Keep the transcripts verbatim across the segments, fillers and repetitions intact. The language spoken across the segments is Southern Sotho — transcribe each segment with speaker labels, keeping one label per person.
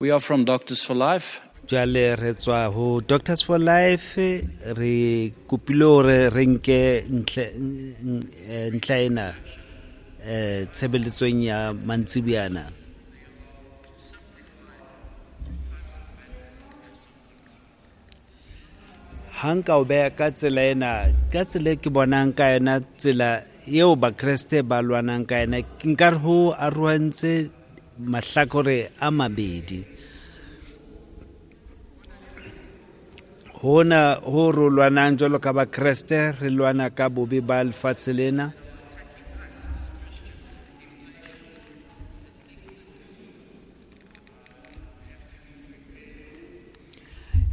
Speaker 1: We are from Doctors for Life.
Speaker 2: Jwale re tswa ho Doctors for Life, re kopile hore re nke ntlha ena eh tshebeletsong ya mantsibuyana. Ha nka o beha ka tsela ena, ka tsela e ke bonang ka yona, tsela eo Bakreste ba lwanang ka yona, nkare ho arohantse mahlakore a mabedi. Hona ho ro lwanang jwalo ka Bakreste, re lwana ka bobe ba lefatshe lena.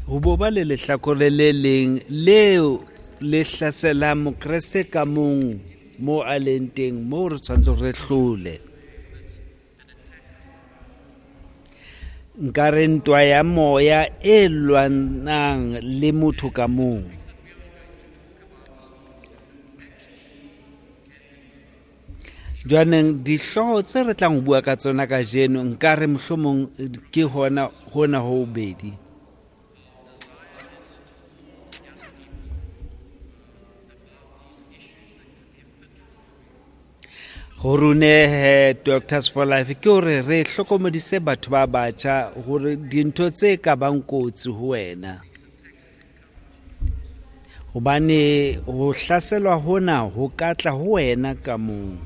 Speaker 2: Ho bo ba le lehlakore le leng leo le hlaselang Mokreste ka mong mo a leng teng, moo re tshwanetse re hlole. Nkare ntwa ya moya e lwanang le motho ka mong. Jwaneng dihlooho tse re tlang ho bua ka tsona kajeno, nkare mohlomong ke hona hona ho bobedi. Ho rune Doctors for Life ke hore re hlokomedise batho ba batjha hore dintho tse ka bang kotsi ho wena, hobane ho hlaselwa hona ho ka tla ho wena ka mong.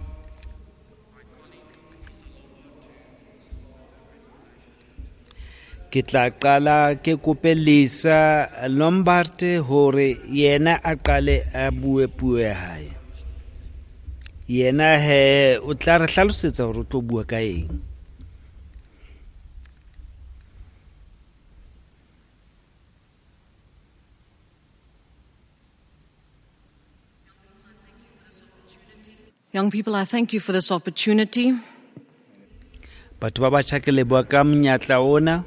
Speaker 2: Ke tla qala ke kope Lisa Lombard hore yena a qale a bue puo ya hae. Yena he o tla re hlalosetsa hore o tlo bua ka eng.
Speaker 3: Young people, I thank you for this opportunity.
Speaker 2: Batho ba batjha, ke leboha ka monyetla ona.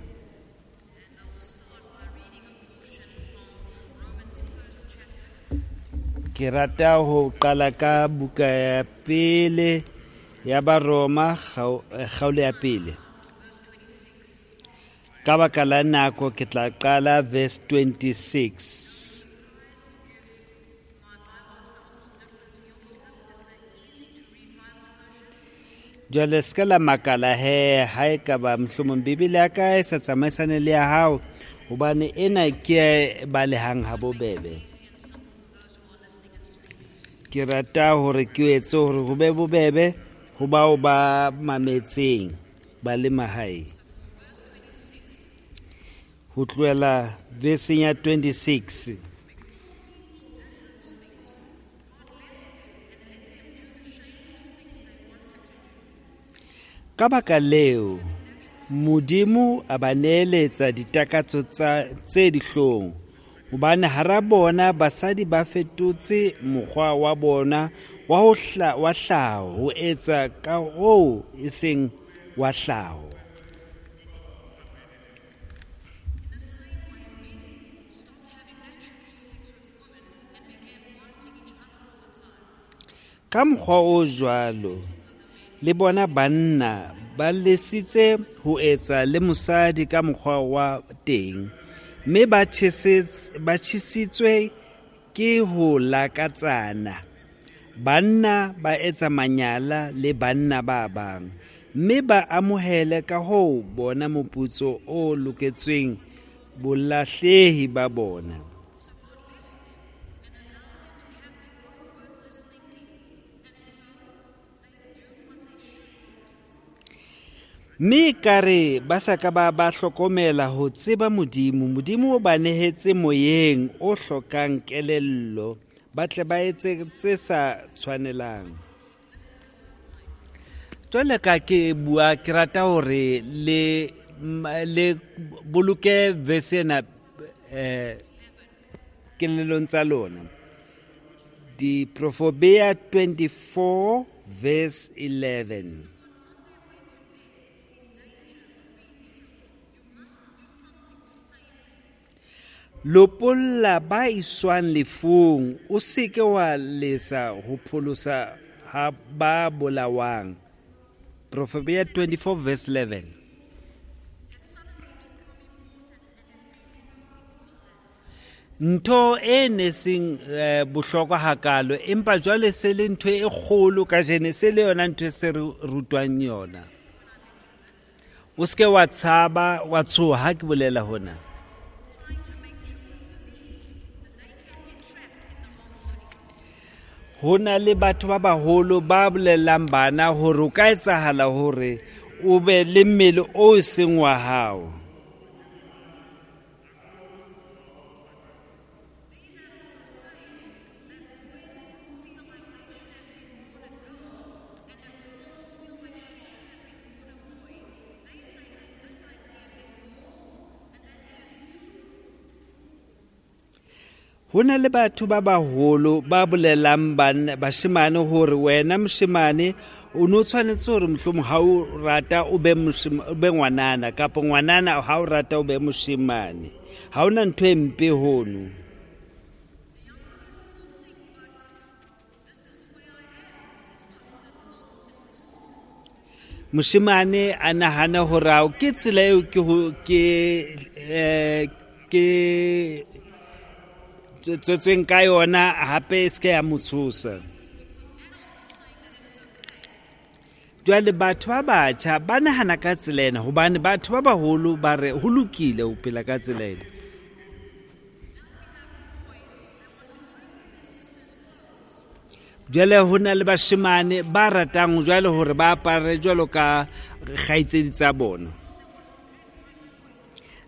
Speaker 2: Ke rata ho qala ka buka ya pele ya Baroma, kgaolo ya pele. Ka baka la nako ke tla qala verse twenty-six. Jwale se ka la makala he ha e ka ba mohlomong Bibele ya ka e sa tsamaisane le ya hao, hobane ena ke e balehang ha bobebe. Ke rata hore ke etse hore ho be bobebe ho bao ba mametseng ba le mahae. Ho tlohela veseng ya twenty-six. Ka baka leo, Modimo a ba neeletsa ditakatso tsa tse dihlong, hobane hara bona basadi ba fetotse mokgwa wa bona wa ho hla, wa hlaho ho etsa ka hoo e seng wa hlaho. Ka mokgwa o jwalo, le bona banna ba lesitse ho etsa le mosadi ka mokgwa wa teng, mme ba ba tjhesitswe ke ho lakatsana. Banna ba etsa manyala le banna ba bang, mme ba amohele ka ho bona moputso o loketsweng bolahlehi ba bona. Mme kare ba sa ka ba ba hlokomela ho tseba Modimo, Modimo o ba nehetse moyeng o hlokang kelello, ba tle ba etse tse sa tshwanelang. Jwale ka ke bua, ke rata hore le le boloke verse ena eh kelellong tsa lona. Diprofobia twenty-four verse eleven. Lopolla ba iswang lefung, o seke wa lesa ho pholosa ha ba bolawang. Proverbia twenty-four verse eleven. Ntho e ne seng eh, bohlokwa hakalo, empa jwale se le ntho e kgolo kajeno, se le yona ntho e se re rutwang yona. O seke wa tshaba, wa tshoha ha ke bolela hona. Ho na le batho ba baholo ba bolellang bana hore o ka etsahala hore o be le mmele o seng wa hao. Ho na le batho ba baholo ba bolelang bana bashemane hore wena moshemane o no tshwanetse hore mohlomong ha o rata o be moshema, o be ngwanana, kapa ngwanana ha o rata o be moshemane. Ha hona ntho e mpe hono. Moshemane a nahana hore ao ke tsela eo ke ho, ke, eh, ke tswetsweng ka yona, hape e se ke ya mo tshosa. Jwale batho ba batjha ba nahana ka tsela ena hobane batho ba baholo ba re ho lokile ho phela ka tsela ena. Jwale ho na le bashemane ba ratang jwale hore ba apare jwalo ka kgaitsedi tsa bona,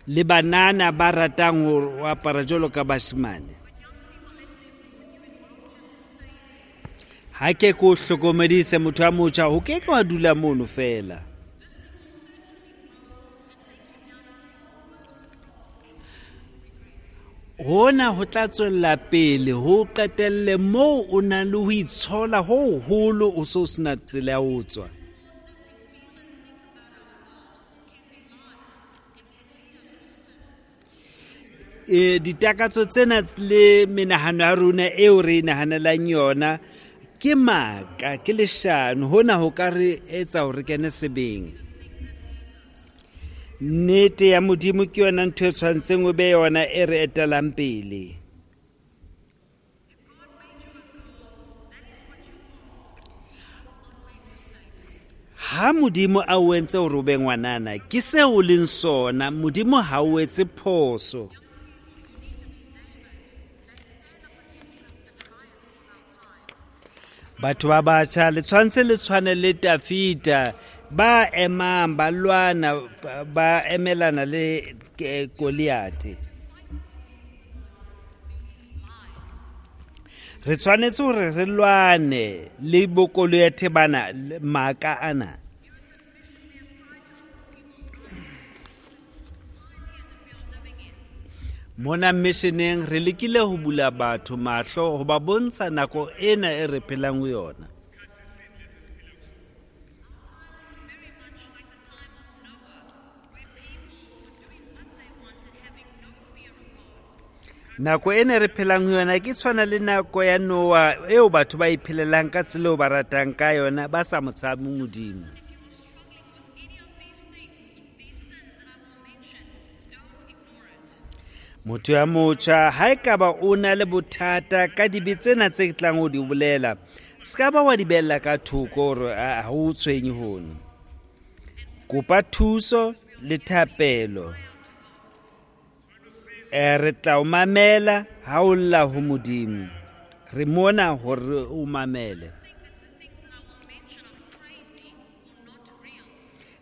Speaker 2: le banana ba ratang ho apara jwalo ka bashemane. Ha ke ko hlokomedise motho a motjha, ho ke ke wa dula mono fela. Hona ho tla tswella pele ho qetelle moo o nang le ho itshola ho hoholo, o so sena tsela ya ho tswa. E, ditakatso tsena le menahano ya rona eo re nahanelang yona ke maka, ke leshano. Hona ho ka re etsa hore re kene sebeng. Nnete ya Modimo ke yona ntho e tshwanetseng o be yona e re etelang pele. Ha Modimo a o entse hore o be ngwanana, ke seo o leng sona. Modimo ha o etse phoso. Batho ba batjha le tshwanetse le tshwane le Tafita, ba emang ba lwana, ba emelana le Goliath. Re tshwanetse hore re lwane le bo Goliath bana, maka ana. Mona missioneng re lekile ho bula batho mahlo ho ba bontsha nako ena e re phelang ho yona. Nako ena re phelang ho yona ke tshwana le nako ya Noah eo batho ba iphelelang ka tsela eo ba ratang ka yona, ba sa mo tshabe Modimo. Motho ya motjha ha ekaba o na le bothata ka dibe tsena tse tlang ho di bolela, se ka ba wa di bella ka thoko hore ha o tshwenye hono. Kopa thuso le thapelo. E, re tla o mamela ha o lla ho Modimo. Re mona hore o mamele.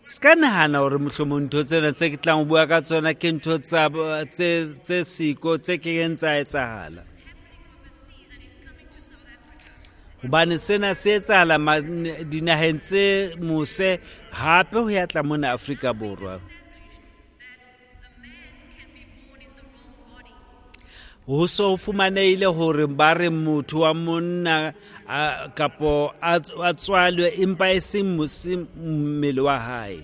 Speaker 2: Se ka nahana hore mohlomong ntho tsena tse ke tlang ho bua ka tsona ke ntho tsa tse tse siko tse keng tsa etsahala. Hobane sena se etsahala dinaheng tse mose, hape ho ya tla mona Afrika Borwa. Ho so ho fumanehile hore ba re motho wa monna kapo a tswalwe empa e seng mmele wa hae.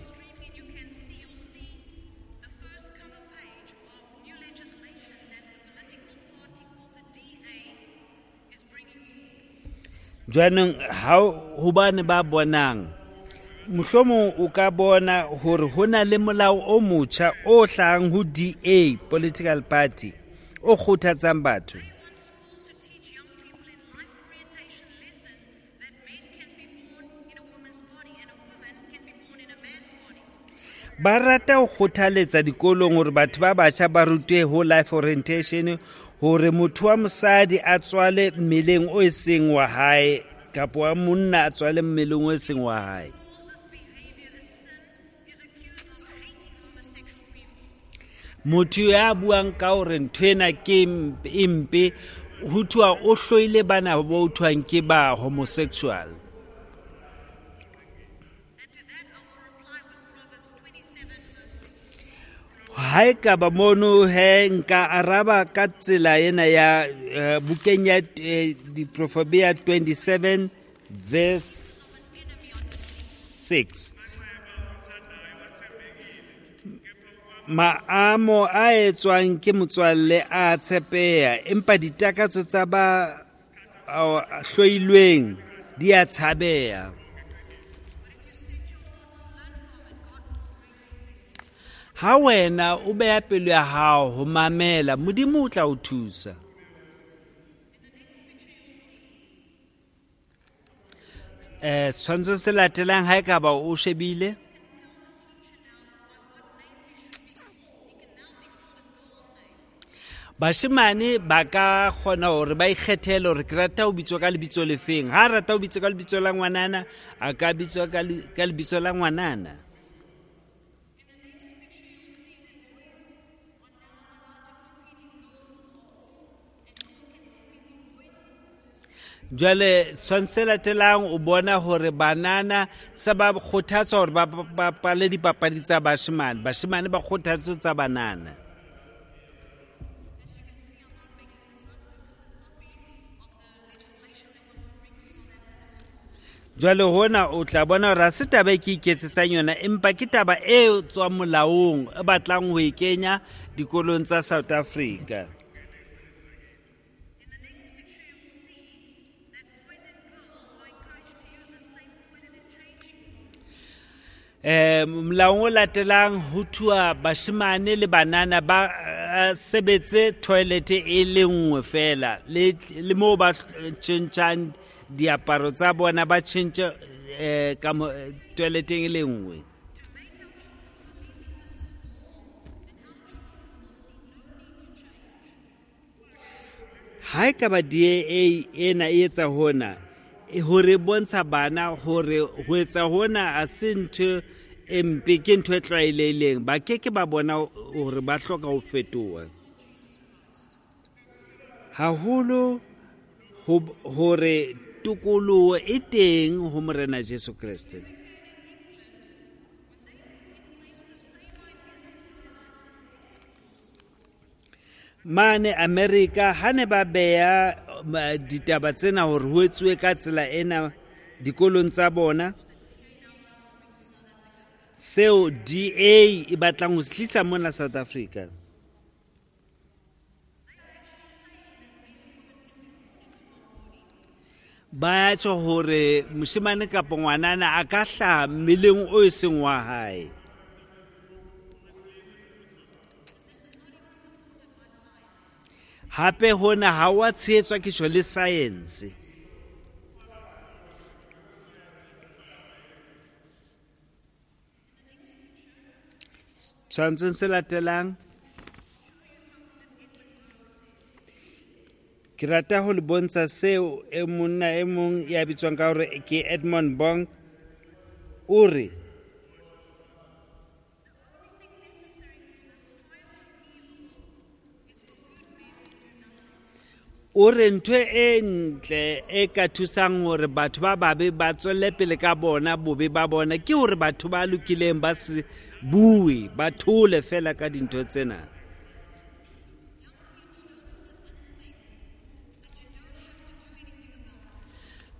Speaker 2: Jwanong ha hobane ba bonang, mohlomong o ka bona hore ho na le molao o motjha o hlahang ho D A, political party, o kgothatsang batho. Ba rata ho kgothaletsa dikolong hore batho ba batjha ba rutwe ho life orientation hore motho wa mosadi a tswale mmeleng o seng wa hae kapa wa monna a tswale mmeleng o seng wa hae. Motho ya buang ka hore ntho ena ke e mpe ho thwa o hloile bana bo thwang ke ba homosexual. Ha e ka ba mono he nka araba ka tsela ena ya bukeng ya Diprofobia twenty-seven verse six. Maamo a etswang ke motswalle a tshepeha, empa ditakatso tsa ba hloilweng di a tshabeha. Ha wena o beha pelo ya hao ho mamela, Modimo o tla o thusa. Eh, setshwantsho se latelang ha e ka ba o shebile. Bashemane ba ka kgona hore ba ikgethele hore ke rata ho bitswa ka lebitso lefeng. Ha rata ho bitswa ka lebitso la ngwanana, a ka bitswa ka lebitso la ngwanana. Jwale setshwantsho se latelang o bona hore banana se ba kgothatswa hore ba bapale dipapadi tsa bashemane, bashemane ba kgothatswa tsa banana. Jwale hona o tla bona hore ha se taba e ke iketsetsang yona, empa ke taba e tswang molaong e batlang ho e kenya dikolong tsa South Africa. Eh, molaong o latelang ho thua bashemane le banana ba sebetse toilet e le nngwe fela, le le moo ba tjhentjhang diaparo tsa bona ba tjhentjhe eh, ka toileteng e le nngwe. Ha e ka ba D A ena e etsa hona hore bontsha bana hore ho etsa hona a se ntho e mpe, ke ntho e tlwaelehileng, ba ke ke ba bona hore ba hloka ho fetoha haholo hore tokoloho e teng ho Morena Jesu Kreste. Mane America ha ne ba beha ditaba tsena hore ho etsuwe ka tsela ena dikolong tsa bona, seo D A e batlang ho se tlisa mona South Africa. Ba tjho hore moshemane kapa ngwanana a ka hlaha mmeleng o e seng wa hae. Hape hona ha wa tshehetswa ke tjho le science. Tshwantshong se latelang ke rata ho le bontsha seo e monna e mong ya bitswang ka hore ke Edmund Burke o re o re ntho e ntle e ka thusang hore batho ba babe ba tswelle pele ka bona bobe ba bona ke hore batho ba lokileng ba se bue, ba thole fela ka dintho tsena.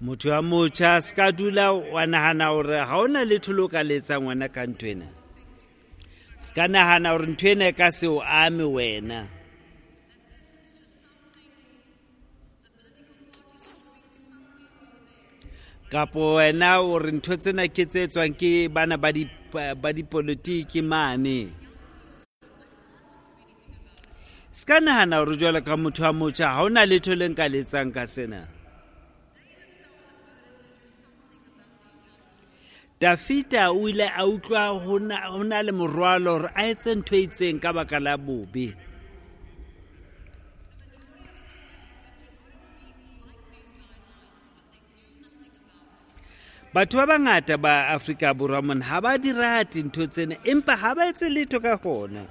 Speaker 2: Motho wa motjha se ka dula wa nahana hore ha hona letho le o ka le etsang wena ka ntho ena. Se ka nahana hore ntho ena e ka se o ame wena. Kapo wena o re ntho tsena ke tse etswang ke bana ba di ba dipolitiki mane. Se ka nahana hore jwalo ka motho wa motjha ha hona letho le nka le etsang ka sena. Dafita o ile a utlwa ho na le morwalo hore a etse ntho e itseng ka baka la bobe. Batho ba bangata ba Afrika Borwa mona ha ba di rate ntho tsena, empa ha ba etse letho ka hona.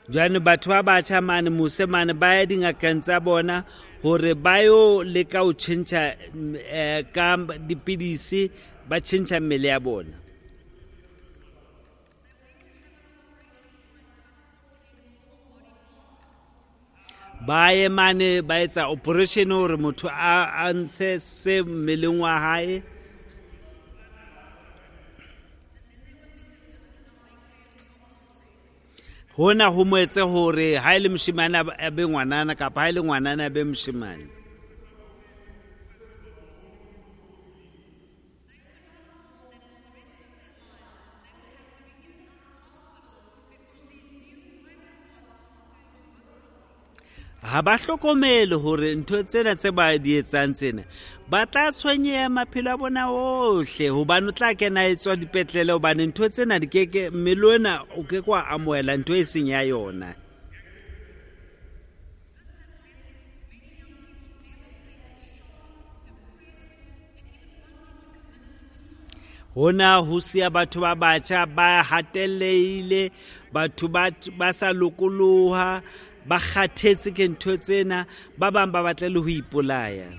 Speaker 2: Jwale batho ba batjha mane mose mane ba ya dingakeng tsa bona hore ba yo leka ho tjhentjha ka dipidisi, ba tjhentjha mmele ya bona. Ba ye mane ba etsa operation hore motho a ntshe se mmeleng wa hae. Hona ho mo etse hore ha e le moshemane a be ngwanana kapa ha e le ngwanana a be moshemane. Ha ba hlokomele hore ntho tsena tse ba di etsang tsena ba tla tshwenyeha maphelo a bona ohle, hobane o tla kena e tswa dipetlele, hobane ntho tsena di keke mmele ona o ke ke wa amohela ntho e seng ya yona. Hona ho siya batho ba batjha ba hatellehile, batho ba ba sa lokoloha, ba kgathetse ke ntho tsena, ba bang ba batla le ho ipolaya.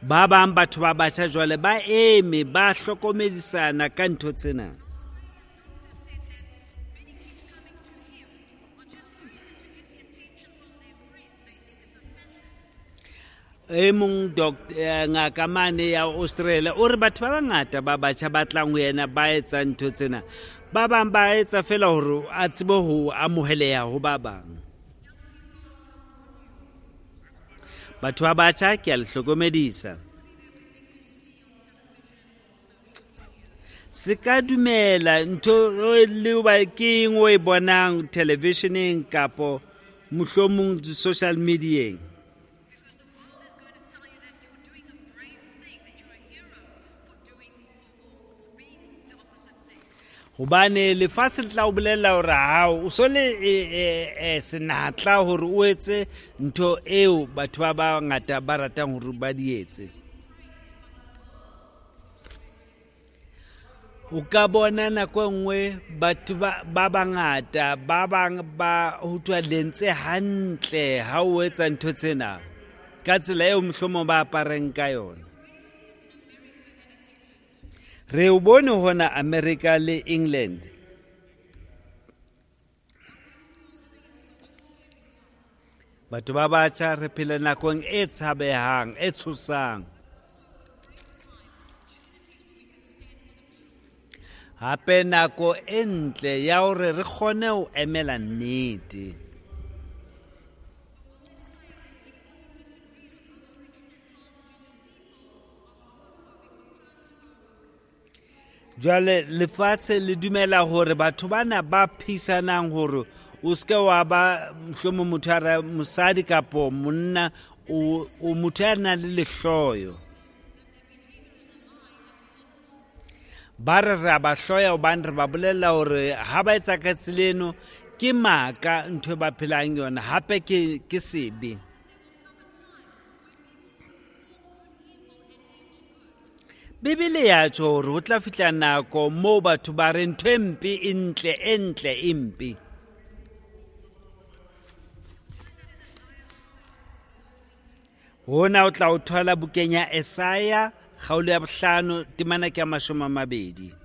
Speaker 2: Ba bang batho ba batjha jwale ba eme ba hlokomedisana ka ntho tsena. E mong ngaka mane ya Australia o re batho ba bangata ba batjha ba tlang ho yena ba etsa ntho tsena, ba bang ba etsa fela hore a tsebe ho amoheleha ho ba bang. Batho ba batjha ke a le hlokomedisa, se ka dumela ntho le ba ke eng o e bonang televisioneng kapo mohlomong di-social medieng. Hobane lefatshe le tla o bolella hore hao o so le senatla hore o etse ntho eo batho ba bangata ba ratang hore ba di etse. O ka bona nako e nngwe batho ba bangata ba bang ba ho thwa le ntse hantle ha o etsa ntho tsena ka tsela eo mohlomong ba apareng ka yona. Re o bone hona America le England. Batho ba batjha re phela nakong e tshabehang, e tshosang. Hape nako e ntle ya hore re kgone ho emela nnete. Jwale lefatshe le dumela hore batho bana ba phisanang hore o seke wa ba mohlomong motho a re mosadi kapo monna o motho ya nang le lehloyo. Ba re re a ba hloya hobane re ba bolella hore ha ba etsa ka tsela eno ke maka ntho e ba phelang yona, hape ke ke sebe. Bibele ya tjho hore ho tla fihla nako moo batho ba re ntho e mpe e ntle, e ntle e mpe. Hona o tla o thola bukeng ya Esaya kgaolo ya bohlano temana ke ya mashome a mabedi.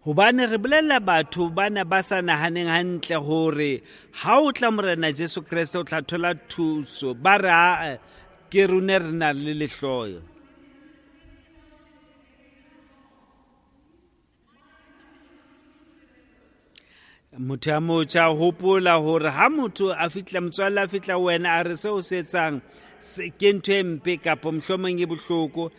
Speaker 2: Hobane re bolella batho bana ba sa nahaneng hantle hore ha o tla Morena Jesu Kreste o tla thola thuso, ba re a ke rone re na le lehloyo. Motho ya motjha hopola hore ha motho a fihla motswalle a fihla wena a re seo se etsang ke ntho e mpe kapa mohlomong e bohloko,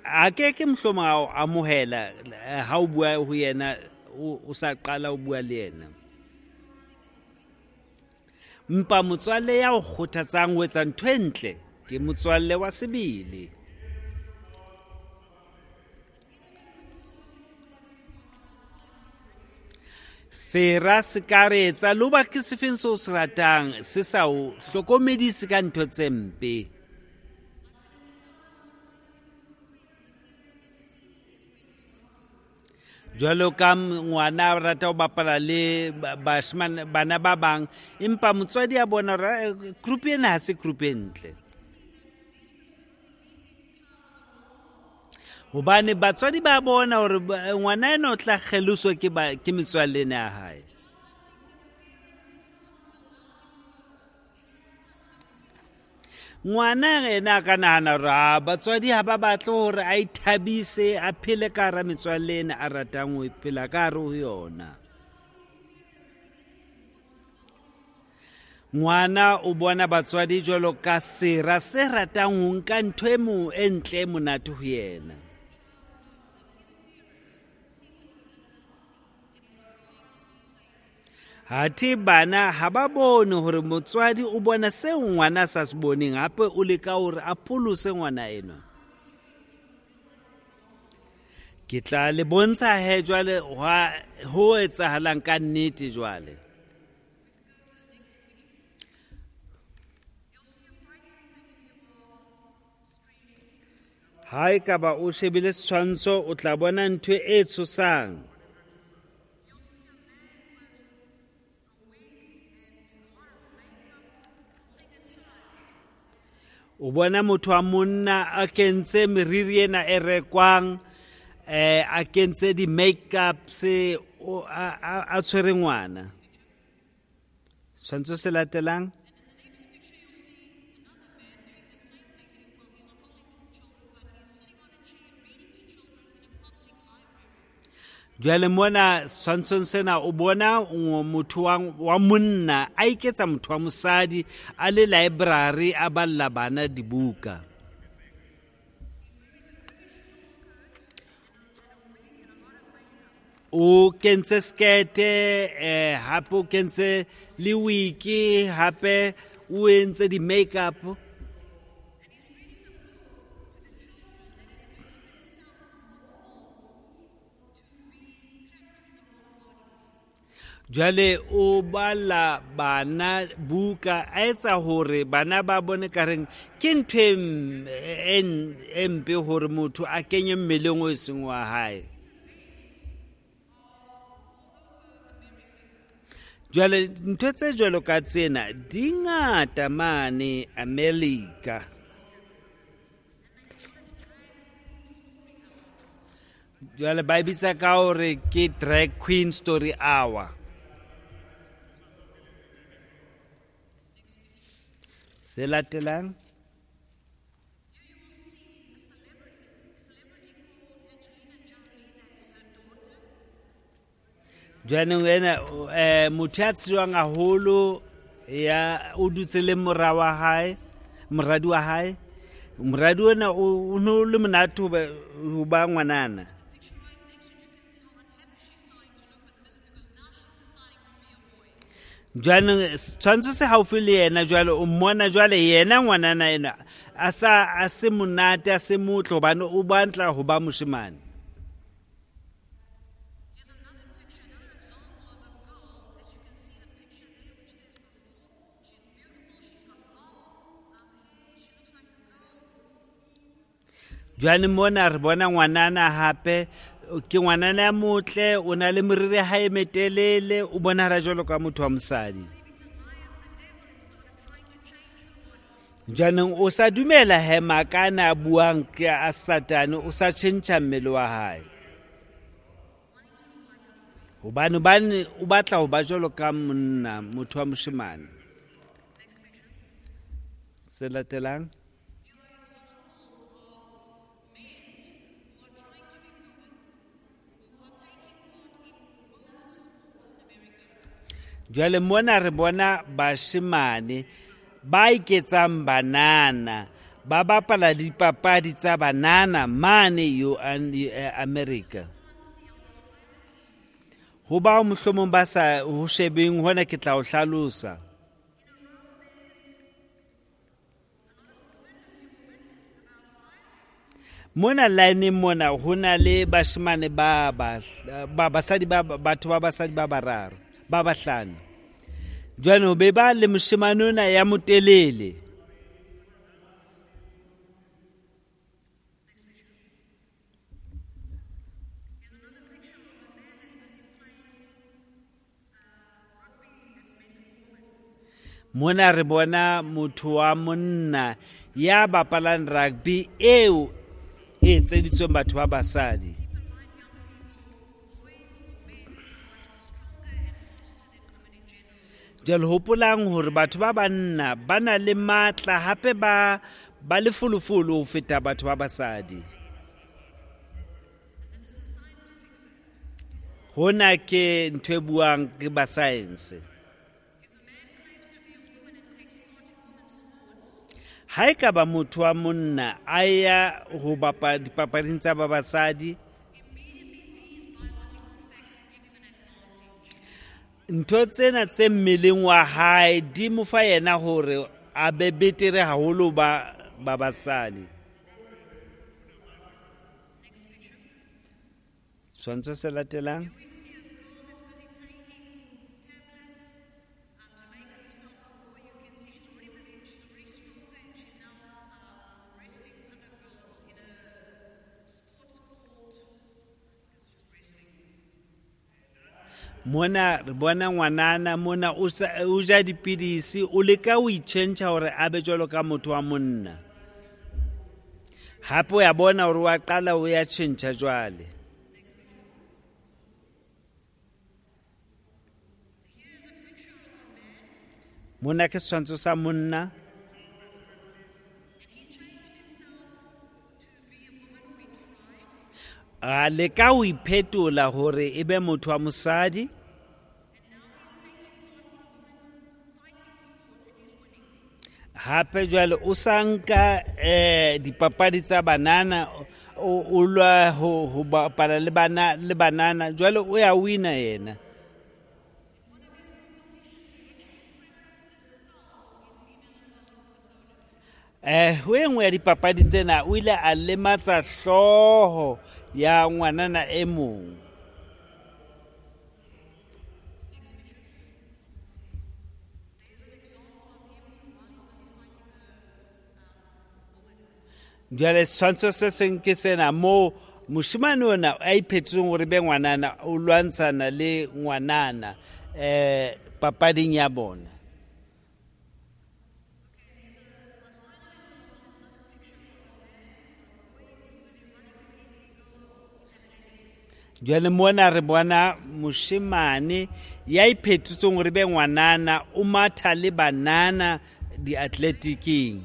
Speaker 2: a ke ke mohlomong a o amohela ha o bua ho yena o sa qala o bua le yena. Mpa motswalle ya o kgothatsang ho etsa ntho e ntle ke motswalle wa sebele. Sera se ka re etsa le hoba ke sefeng seo se ratang se sa o hlokomedise ka ntho tse mpe. Jwalo ka ngwana a rata ho bapala le bashemane bana ba bang, empa motswadi a bona hore group ena ha se group e ntle. Hobane batswadi ba bona hore ngwana ena o tla kgeloswa ke ba ke metswalle ena ya hae. Ngwana ena a ka nahana hore a batswadi ha ba batle hore a ithabise a phele ka hara metswalle ena a ratang ho phela ka hare ho yona. Ngwana o bona batswadi jwalo ka sera se ratang ho nka ntho e mo e ntle e monate ho yena. Hathe bana ha ba bone hore motswadi o bona seo ngwana a sa se boneng, hape o leka hore a pholose ngwana enwa. Ke tla le bontsha he jwale ho etsahalang ka nnete jwale. Ha ekaba o shebile setshwantsho o tla bona ntho e tshosang. O bona motho wa monna a kentse meriri ena e rekwang, eh a kentse di-makeups, a tshwere ngwana. Setshwantsho se latelang. Jwale mona setshwantshong sena o bona motho wa monna a iketsa motho wa mosadi a le library a balla bana dibuka. O kentse skete, eh hape o kentse le wiki, hape o entse di-makeup. Jwale o bala bana buka a etsa hore bana ba bone ka reng ke ntho e mpe hore motho a kenye mmeleng o seng wa hae. Jwale ntho tse jwalo ka tsena di ngata mane America. Jwale ba bitsa ka hore ke drag queen story hour. Se latelang. Jwanong ena eh motho ya tsejwang haholo ya o dutse le mora wa hae, moradi wa hae. Moradi ona o no le monate ho ba ngwanana. Jwanong setshwantsho se haufi le yena jwale o mmona jwale yena ngwanana ena a sa a se monate a se motle hobane o batla ho ba moshemane. Jwale mona re bona ngwanana hape ke ngwanana ya motle, o na le meriri ya hae metelele, o bonahala jwalo ka motho wa mosadi. Jwanong o sa dumela he makana a buang ke a Satane, o sa tjhentjha mmele wa hae. Hobane hobane o batla ho ba jwalo ka monna, motho wa moshemane. Se latelang. Jwale mona re bona bashemane ba iketsang banana, ba bapala dipapadi tsa banana mane yo America. Ho bao mohlomong ba sa ho shebeng hona ke tla o hlalosa. Mona line mona ho na le bashemane ba ba basadi ba batho ba basadi ba bararo ba bahlano. Jwale ho be ba le moshemane ona ya motelele. Mona re bona motho wa monna ya bapalang rugby eo e etseditsweng batho ba basadi. Jwale hopolang hore batho ba banna ba na le matla hape ba ba lefolofolo ho feta batho ba basadi. Hona ke ntho e buang ke ba science. Ha e ka ba motho wa monna a ya ho bapala dipapading tsa ba basadi, ntho tsena tse mmeleng wa hae di mo fa yena hore a be betere haholo ba ba basadi. Setshwantsho se latelang. Mona re bona ngwanana mona o o ja dipidisi, o leka ho itjhentjha hore a be jwalo ka motho wa monna. Hape o ya bona hore wa qala o ya tjhentjha jwale. Mona ke setshwantsho sa monna. A leka ho iphetola hore e be motho wa mosadi. Hape jwale o sa nka eh dipapadi tsa banana, o lwa ho ho bapala le bana le banana, jwale o ya wina yena. Eh ho e nngwe ya dipapadi tsena o ile a lematsa hlooho ya ngwanana e mong. Jwale setshwantsho se seng ke sena moo moshemane ona a iphetotseng hore be ngwanana o lwantshana le ngwanana eh papading ya bona. Jwale mona re bona moshemane ya iphetotseng hore be ngwanana o matha le banana di-athletiking.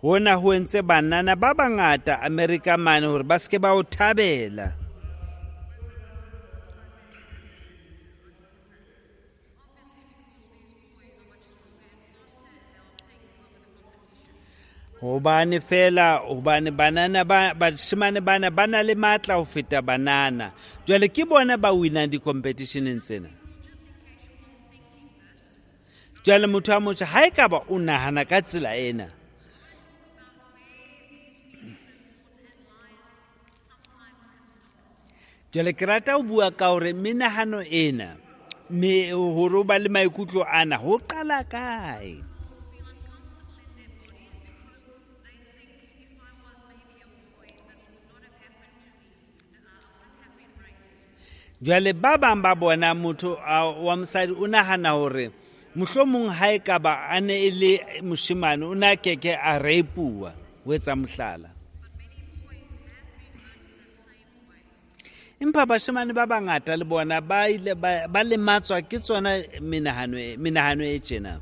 Speaker 2: Hona ho entse banana ba bangata America mane hore ba seke ba o thabela. Hobane fela hobane banana ba bashemane bana ba na le matla ho feta banana. Jwale ke bona ba winang di-competitioneng tsena. Jwale motho wa motjha ha e ka ba o nahana ka tsela ena. Jwale ke rata ho bua ka hore menahano ena, me hore o ba le maikutlo ana ho qala kae. Jwale ba bang ba bona motho wa mosadi o nahana hore mohlomong ha e ka ba a ne e le moshemane o na keke a rape-uwa, ho etsa mohlala. Empa bashemane ba bangata le bona ba ile ba lematswa ke tsona menahano menahano e tjena.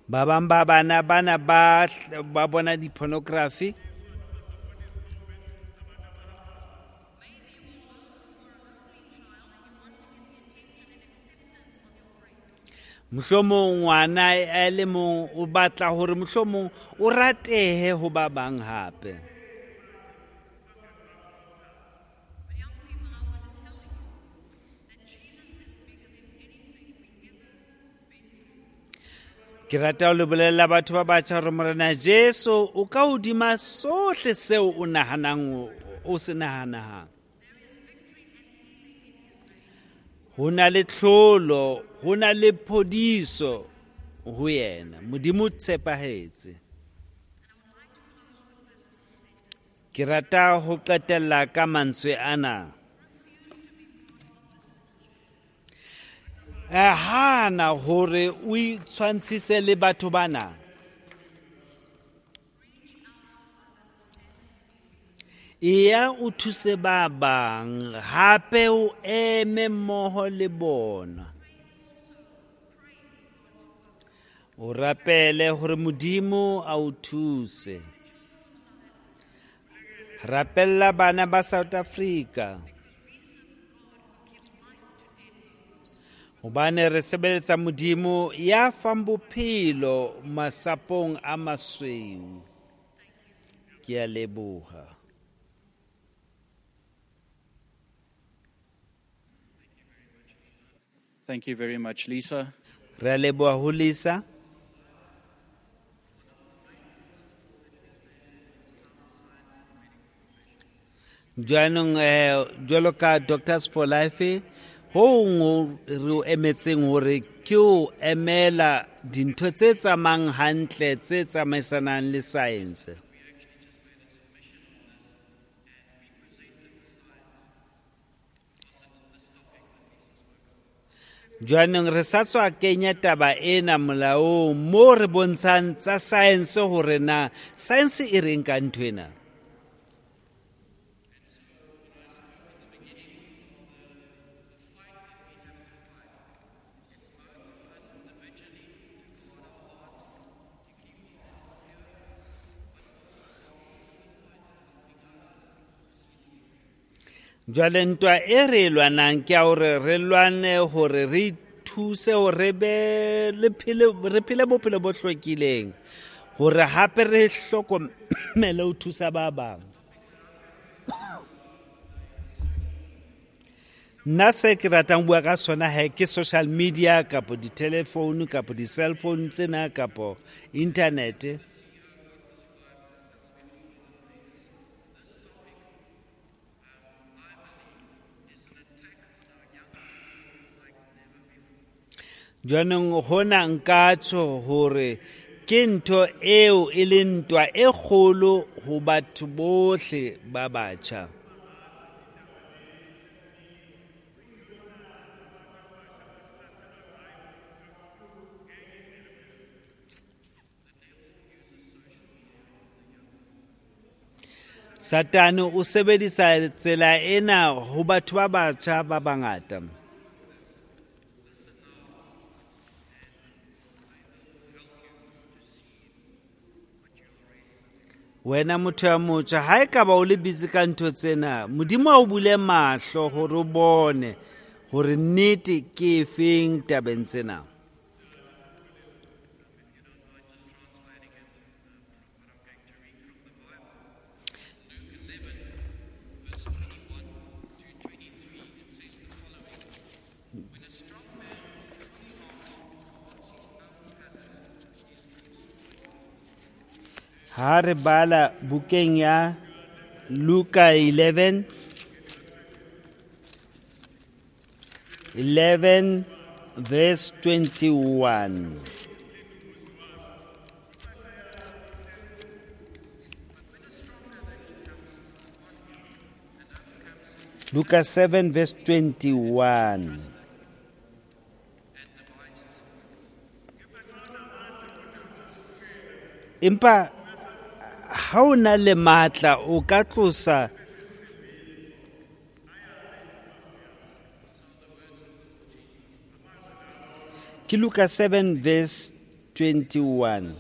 Speaker 2: Ba bang ba bana bana ba ba bona di-pornography. Mohlomong ngwana a le mong o batla hore mohlomong o ratehe ho ba bang hape.
Speaker 3: But young people, I want to tell you that Jesus is bigger than anything we ever been through.
Speaker 2: Ke rata ho le bolella batho ba batjha hore Morena Jesu o ka hodima sohle seo o nahanang o, o se nahanang.
Speaker 3: There is victory and healing in his name.
Speaker 2: Ho na le tlholo, ho na le phodiso ho yena. Modimo o tshepahetse.
Speaker 3: And I would like to close with this sentence.
Speaker 2: Ke rata ho qetella ka mantswe ana.
Speaker 3: Refuse to be part of this culture.
Speaker 2: Eh, hana hore o itshwantshise le batho bana.
Speaker 3: Reach out to others and stand in their presence.
Speaker 2: Eya o thuse ba bang, hape o eme mmoho le bona.
Speaker 3: Pray also, pray for God to work.
Speaker 2: O rapele hore Modimo a o thuse.
Speaker 3: The children of South Africa,
Speaker 2: Rapella bana ba South Africa.
Speaker 3: because we serve a God who gives life to dead bones.
Speaker 2: Hobane re sebeletsa Modimo ya fang bophelo masapong a masweu.
Speaker 3: Thank you.
Speaker 2: Ke a leboha.
Speaker 1: Thank you very much, Lisa.
Speaker 2: Re a leboha ho Lisa. Jwanong eh jwalo ka Doctors for Life ho nngwe re o emetseng hore ke o emela dintho tse tsamayang hantle tse tsamaisanang le science. Jwanong re sa tswa kenya taba ena molaong mo re bontshang tsa science hore na science e reng ka ntho ena. Jwale ntwa e re e lwanang ke ya hore re lwane hore re thuse hore re be le phele, re phele bophelo bo hlwekileng, hore hape re hlokomele ho thusa ba bang. Nna se ke ratang ho bua ka sona he ke social media kapo di-telephone kapo di-cell phone tsena kapo internet. Jwanong hona nka tjho hore ke ntho eo e leng ntwa e kgolo ho batho bohle ba batjha. Satane o sebedisa tsela ena ho batho ba batjha ba bangata. Wena motho ya motjha, ha ekaba o le busy ka ntho tsena, Modimo a o bule mahlo hore o bone hore nnete ke efeng tabeng tsena. Ha re bala bukeng ya Luka eleven, eleven verse twenty-one. Luka seven verse twenty-one. Empa ha o na le matla o ka tlosa ke Luka seven verse twenty-one.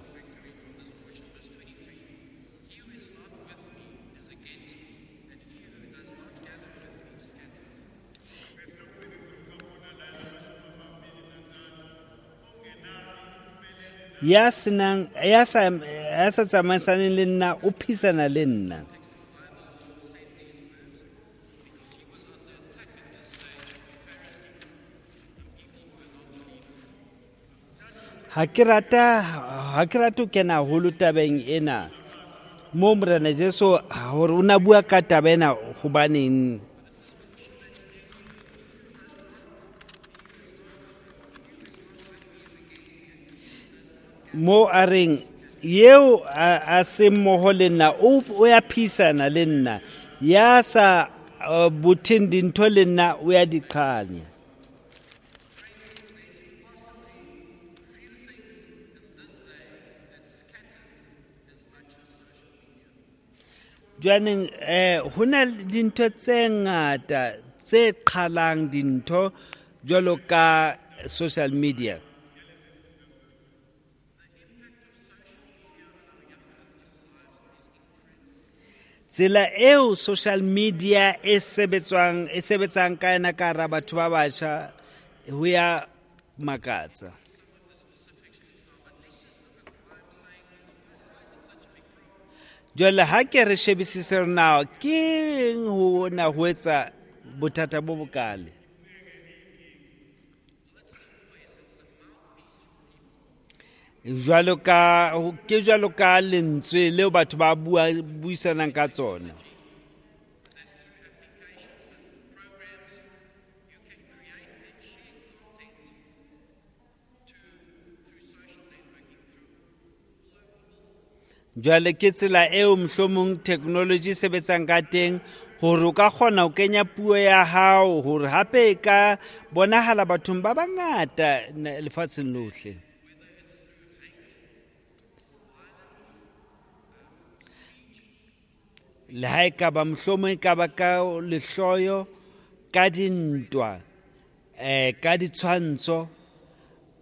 Speaker 2: Ya senang ya sa ya sa tsamaisaneng le nna o phisana le nna. Ha ke rata ha ke rate ho kena haholo tabeng ena mo Morena Jesu hore o na bua ka taba ena hobaneng. Mo a reng eo a se mmoho le nna o o ya phisana le nna, ya sa botheng dintho le nna o ya di qhanya. Jwaneng eh ho na le dintho tse ngata tse qhalang dintho jwalo ka social media. Tsela eo social media e sebetswang e sebetsang ka yona ka hara batho ba batjha ho ya makatsa. Jwale ha ke re shebisise hore na ke eng ho na ho etsa bothata bo bokale. Jwalo ka ke jwalo ka lentswe leo batho ba bua buisanang ka tsona. Jwale ke tsela eo mohlomong technology e sebetsang ka teng hore o ka kgona ho kenya puo ya hao hore hape e ka bonahala bathong ba bangata lefatsheng lohle. Le ha e ka ba mohlomong e ka ba ka lehloyo, ka dintwa, eh ka ditshwantsho,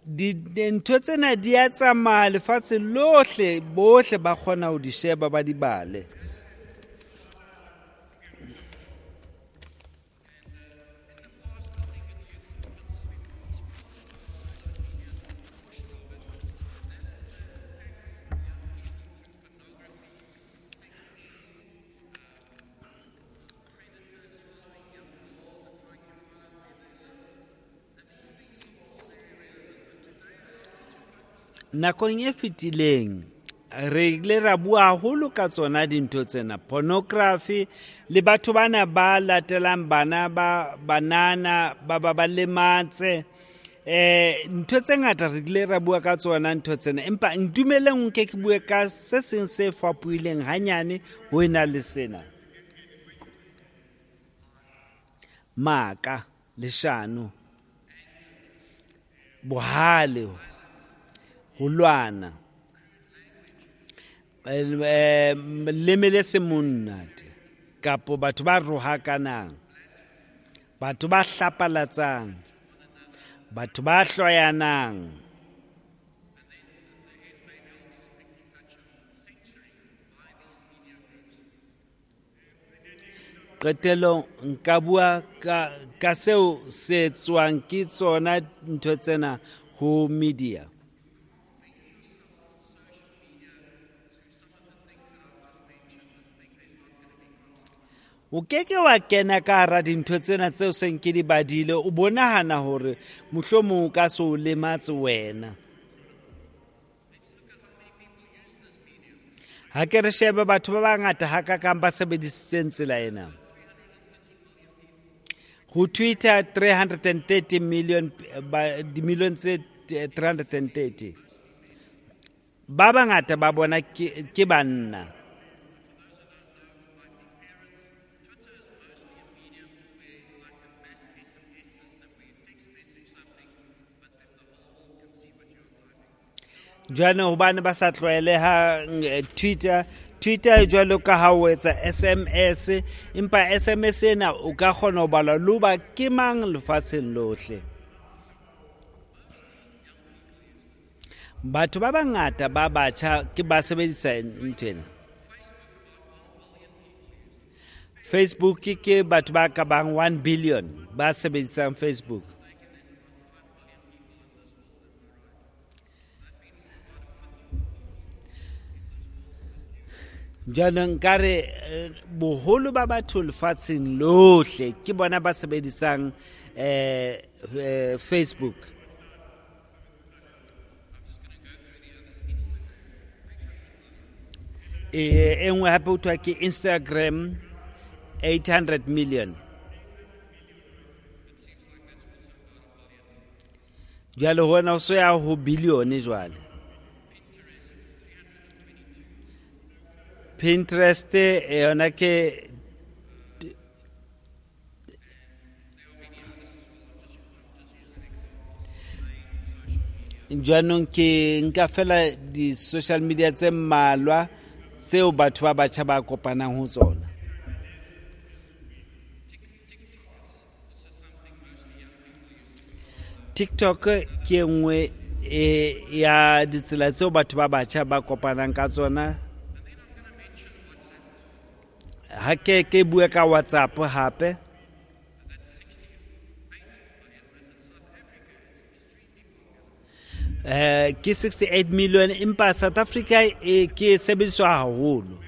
Speaker 2: dintho tsena di a tsamaya lefatshe lohle, bohle ba kgona ho di sheba ba di bale. Nakong e fetileng re ile ra bua haholo ka tsona dintho tsena, pornography le batho bana ba latelang bana ba banana ba ba ba lematse, eh ntho tse ngata re ile ra bua ka tsona ntho tsena, empa ntumeleng nke ke bue ka se seng se fapohileng hanyane ho ena le sena. Maka, leshano, bohale, ho lwana, leme le se monate, kapo batho ba rohakanang, batho ba hlapalatsang, batho ba hloyanang. Qetellong nka bua ka, ka seo se etswang ke tsona ntho tsena ho media. O keke wa kena ka hara dintho tsena tseo seng ke di badile, o bonahana hore mohlomong o ka se o lematse wena. Ha ke re shebe batho ba bangata hakakang ba sebedisitseng tsela ena. Ho Twitter three hundred thirty million, dimilione tse three hundred thirty. Ba bangata ba bona ke, ke banna. Jwale hobane ba sa tlwaeleha Twitter, Twitter jwalo ka ha o etsa S M S, empa S M S ena o ka kgona ho bala le hoba ke mang lefatsheng lohle. Batho ba bangata ba batjha ke ba sebedisa ntho ena. Facebook ke batho ba ka bang one billion ba sebedisang Facebook. Jwanong nkare eh, boholo ba batho lefatsheng lohle ke bona ba sebedisang eh, eh, Facebook. E nngwe hape ho thwa ke Instagram, eight hundred million. Jwale hona ho so ya ho billion jwale. Pinterest yona ke jwanong ke nka fela di-social media tse mmalwa tseo batho ba batjha ba kopanang ho tsona. TikTok ke e nngwe e ya ditsela tseo batho ba batjha ba kopanang ka tsona. Ha ke ke bue ka WhatsApp hape. Eh ke sixty-eight million, empa South Africa e ke sebediswa haholo.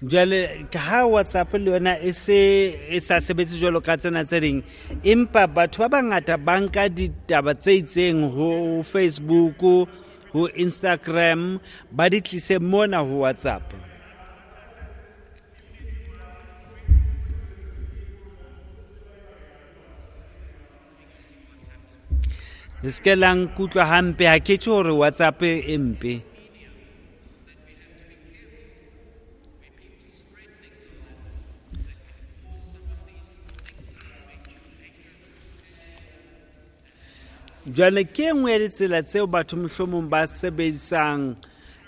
Speaker 2: Jwale ka ha WhatsApp le yona e se e sa sebetse jwalo ka tsena tse ding, empa batho ba bangata ba nka ditaba tse itseng ho Facebook, ho Instagram, ba di tlise mona ho WhatsApp. Le se ke la nkutlwa hampe, ha ke tjho hore WhatsApp e mpe. Jwale ke e nngwe ya ditsela tseo batho mohlomong ba sebedisang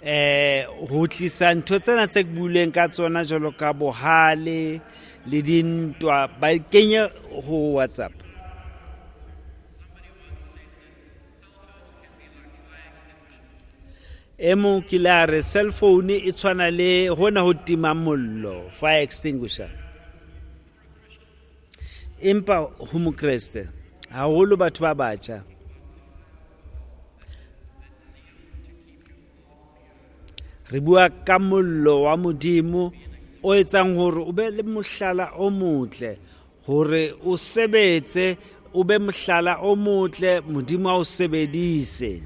Speaker 2: eh ho tlisa ntho tsena tse ke buileng ka tsona jwalo ka bohale le dintwa, ba kenye ho WhatsApp. E mong ke la re cell phone e tshwana le hona ho tima mollo, fire extinguisher. Empa ho Mokreste haholo batho ba batjha re bua ka mollo wa Modimo o etsang hore o be le mohlala o motle, hore o sebetse, o be mohlala o motle, Modimo a o sebedise.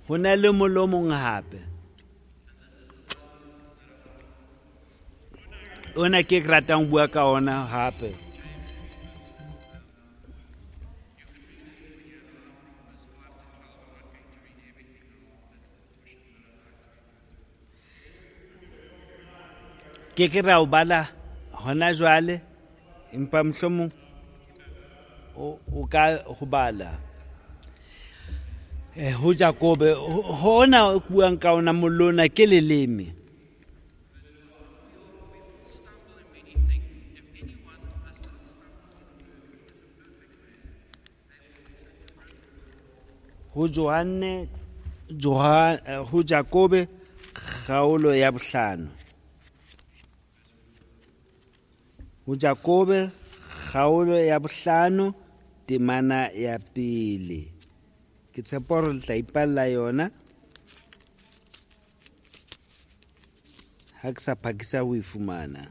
Speaker 2: Ho na le mollo o mong hape. Ona ke ke ratang ho bua ka ona hape. Ke ke ra o bala hona jwale, empa mohlomong o, o ka ho bala. Eh, ho Jakobe, hona o buang ka ona mollo ona ke leleme. Ho Johanne, Johan, ho Jakobe kgaolo ya bohlano. Ho Jakobe kgaolo ya bohlano temana ya pele. Ke tshepa hore le tla ipalla yona. Ha ke sa phakisa ho e fumana.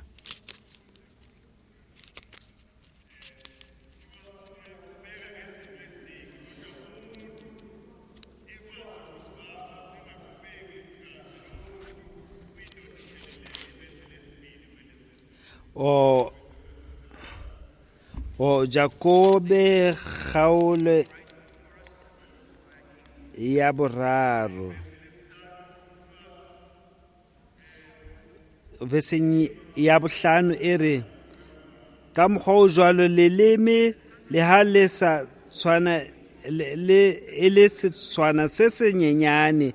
Speaker 2: O o Jakobe kgaolo ya boraro veseng ya bohlano e re, ka mokgwa o jwalo leleme le ha le sa tshwana le, le e le setshwana se senyenyane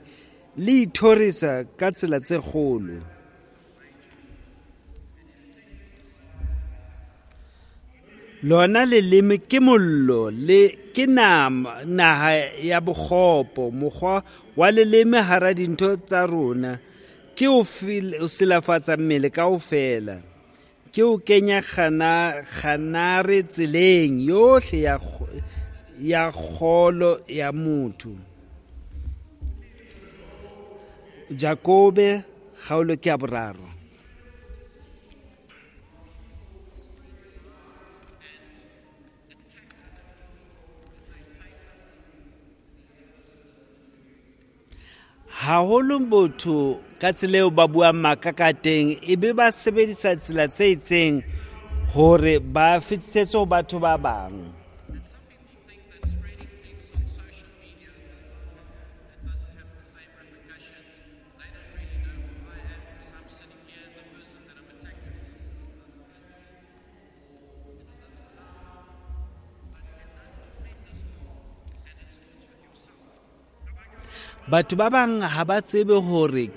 Speaker 2: le ithorisa ka tsela tse kgolo. Lona leleme ke mollo le ke nama naha ya bokgopo. Mokgwa wa leleme hara dintho tsa rona ke o silafatsa mmele kaofela, ke o kenya kgana kganare tseleng yohle ya ya kgolo ya motho. Jakobe kgaolo ke ya boraro. Haholo botho ka tsela eo ba buang maka ka teng, ebe ba sebedisa tsela tse itseng hore ba fetisetse ho batho ba bang. Batho ba bang ha ba tsebe hore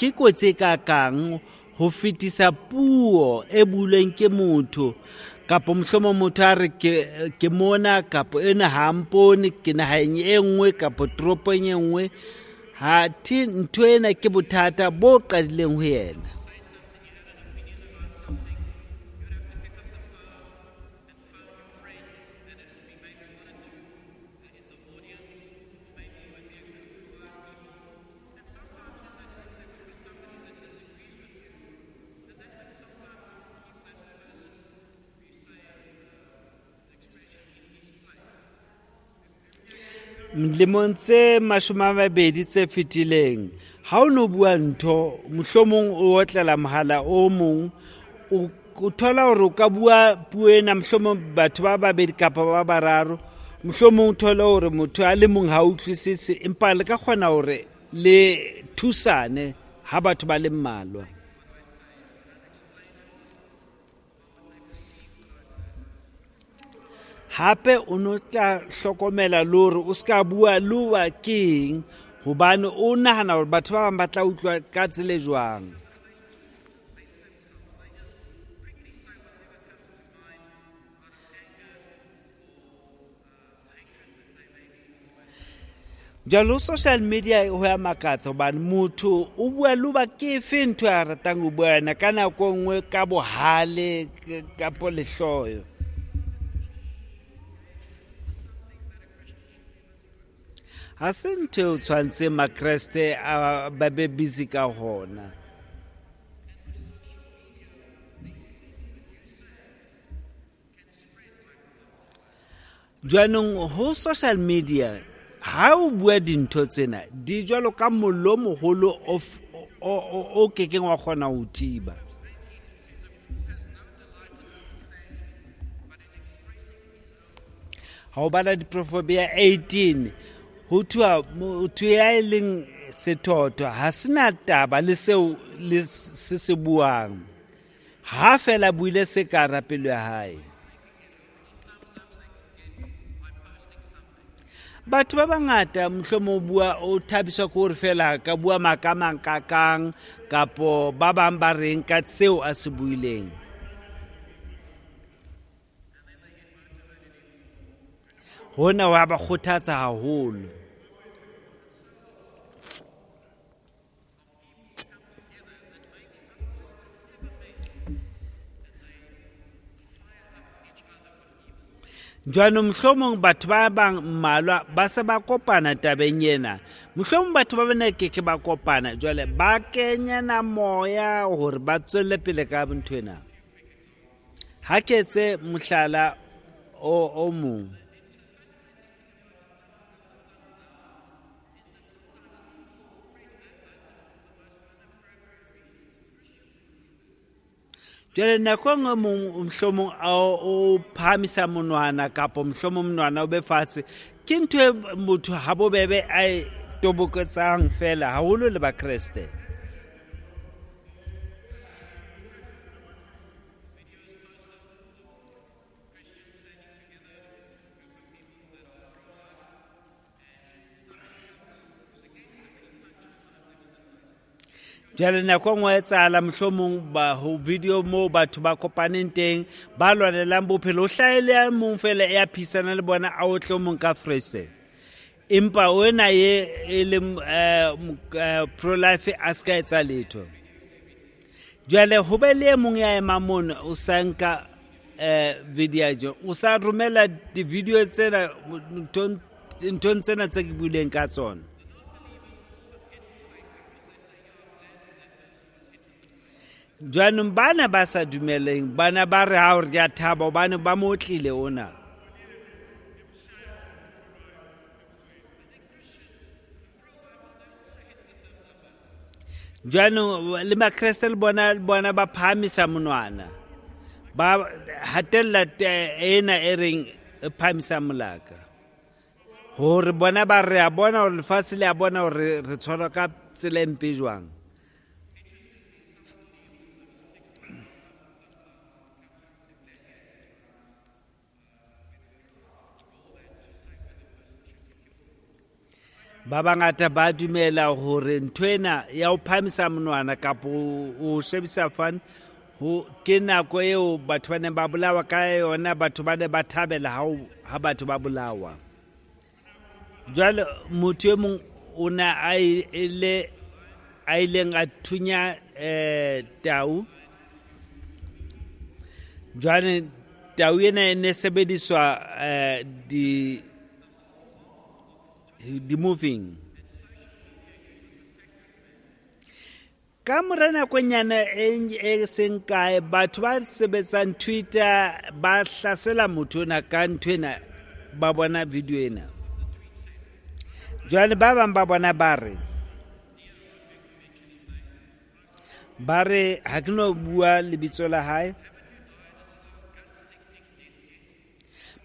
Speaker 2: ke kotsi e kakang ho fetisa puo e builweng ke motho, kapa mohlomong motho a re ke ke mona, kapa ena ha mpone, ke naheng e nngwe kapa toropong e nngwe. Ha thi ntho ena ke bothata bo qadileng ho yena. Lemong tse mashome a mabedi tse fetileng, ha o no bua ntho, mohlomong o otlela mohala o mong, o thola hore o ka bua puo ena mohlomong batho ba babedi kapa ba bararo, mohlomong o thole hore motho a le mong ha utlwisise, empa le ka kgona hore le thusane ha batho ba le mmalwa. Hape o no tla hlokomela le hore o ska bua le wa keng, hobane o nahana hore batho ba bang ba tla utlwa ka tsela e jwang. Jwale social media ho ya makatsa hobane motho o bua le ba ke efe ntho a ratang ho bua yona ka nako e nngwe ka bohale kapo lehloyo. Ha se ntho eo tshwantseng Makreste a ba be busy ka hona. Jwanong ho social media ha o bua dintho tsena di jwalo ka mollo o moholo o o kekeng wa kgona ho thiba. Ha o bala diproverbia eighteen, ho thwa motho ya e leng sethotho ha sena taba le seo le se se buang, ha fela buile se ka hara pelo ya hae. Batho ba bangata mohlomong o bua o thabiswa ke hore fela ka bua maka a mang kakang, kapo ba bang ba reng ka seo a se buileng. Hona wa ba kgothatsa haholo. Jwanong mohlomong batho ba bang mmalwa ba se ba kopana tabeng ena. Mohlomong batho ba bana ke ke ba kopana, jwale ba kenyana moya hore ba tswelle pele ka ntho ena. Ha ke etse mohlala o o mong. Jwale nako e nngwe mohlomong o phahamisa monwana kapa mohlomong monwana o be fatshe, ke ntho e motho ha bobebe a e toboketsang fela haholo le Bakreste. Jwale nako e nngwe e etsahala mohlomong ba ho video moo batho ba kopaneng teng ba lwanelang bophelo, o hlahele a mong fela ya phisana le bona a otle o mong ka frese. Empa wena ye e leng pro-life a ska etsa letho. Jwale ho be le e mong ya emang mono o sa nka video jo, o sa romela di-video tsena nthong tsena tse ke buileng ka tsona. Jwanong bana ba sa dumeleng, bana ba re ha re ya thaba hobane ba mo otlile ona. Jwanong le Makreste le bona bona ba phahamisa monwana, ba hatella ena e reng e phahamisa molaka, hore bona ba re a bona hore lefatshe le a bona hore re tshwarwa ka tsela e mpe jwang. Ba bangata ba dumela hore ntho ena ya ho phahamisa monwana kapa o shebisa fane ho ke nako eo batho ba neng ba bolawa ka yona, batho ba ne ba thabela ha ha batho ba bolawa. Jwale motho e mong o ne a ile a ileng a thunya eh tau. Jwale tau ena e ne sebediswa eh di di moving. Ka mora nakonyana e seng kae, batho ba sebetsang Twitter ba hlasela motho ona ka ntho ena, ba bona video ena. Jwale ba bang ba bona ba re ba re ha ke no bua lebitso la hae,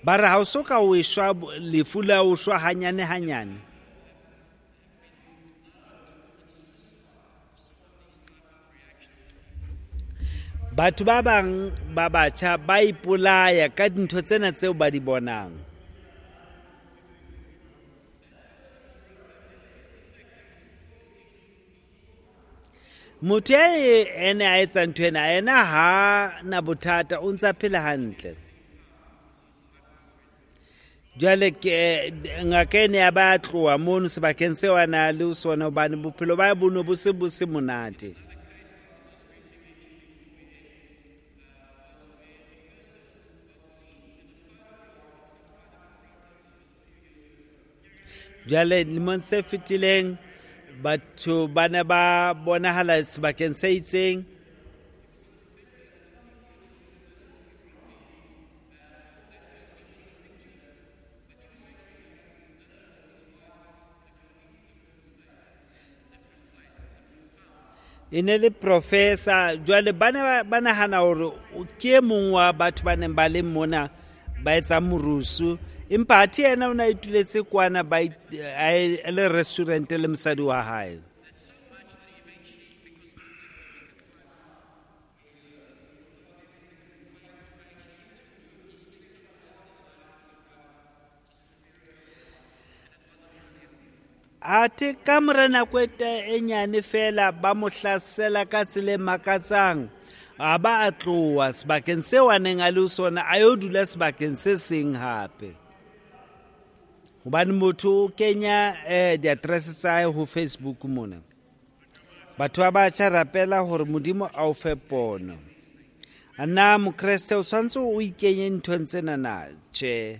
Speaker 2: ba re ha o so ka o eshwa lefu la o shwa hanyane hanyane. Batho ba bang ba batjha ba ipolaya ka dintho tsena tseo ba di bonang. Motho ene a etsa ntho ena, ena ha na bothata, o ntsa phela hantle. Jwale ke ngaka ene ya ba tloha mono sebakeng seo a na le sona, hobane bophelo ba bo no bo se bo se monate. Jwale lemong se fetileng batho ba ne ba bonahala sebakeng se itseng. E ne le professor. Jwale ba ne ba nahana hore ke e mong wa batho ba neng ba le mona ba etsa morusu, empa athe yena o ne a ituletse kwana ba le restaurant le mosadi wa hae. Athe ka mora nako e nyane fela ba mo hlasela ka tsela e makatsang, a ba a tloha sebakeng seo a neng a le ho sona, a yo dula sebakeng se seng hape. Hobane motho o kenya eh di-address tsa hae ho Facebook mona. Batho ba batjha rapela hore Modimo a o fe pono. A na Mokreste o tshwanetse o ikenye nthong tsena na? Tjhe.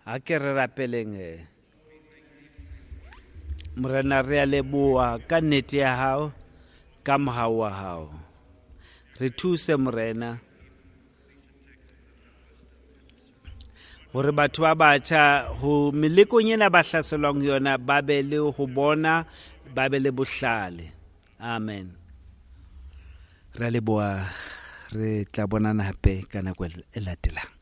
Speaker 2: A ke re rapeleng. Morena, re a leboha ka nnete ya hao, ka mohau wa hao. Re thuse Morena hore batho ba batjha ho melekong ena ba hlaselwang yona ba be le ho bona, ba be le bohlale. Amen. Re a leboha, re tla bonana hape ka nako e latelang.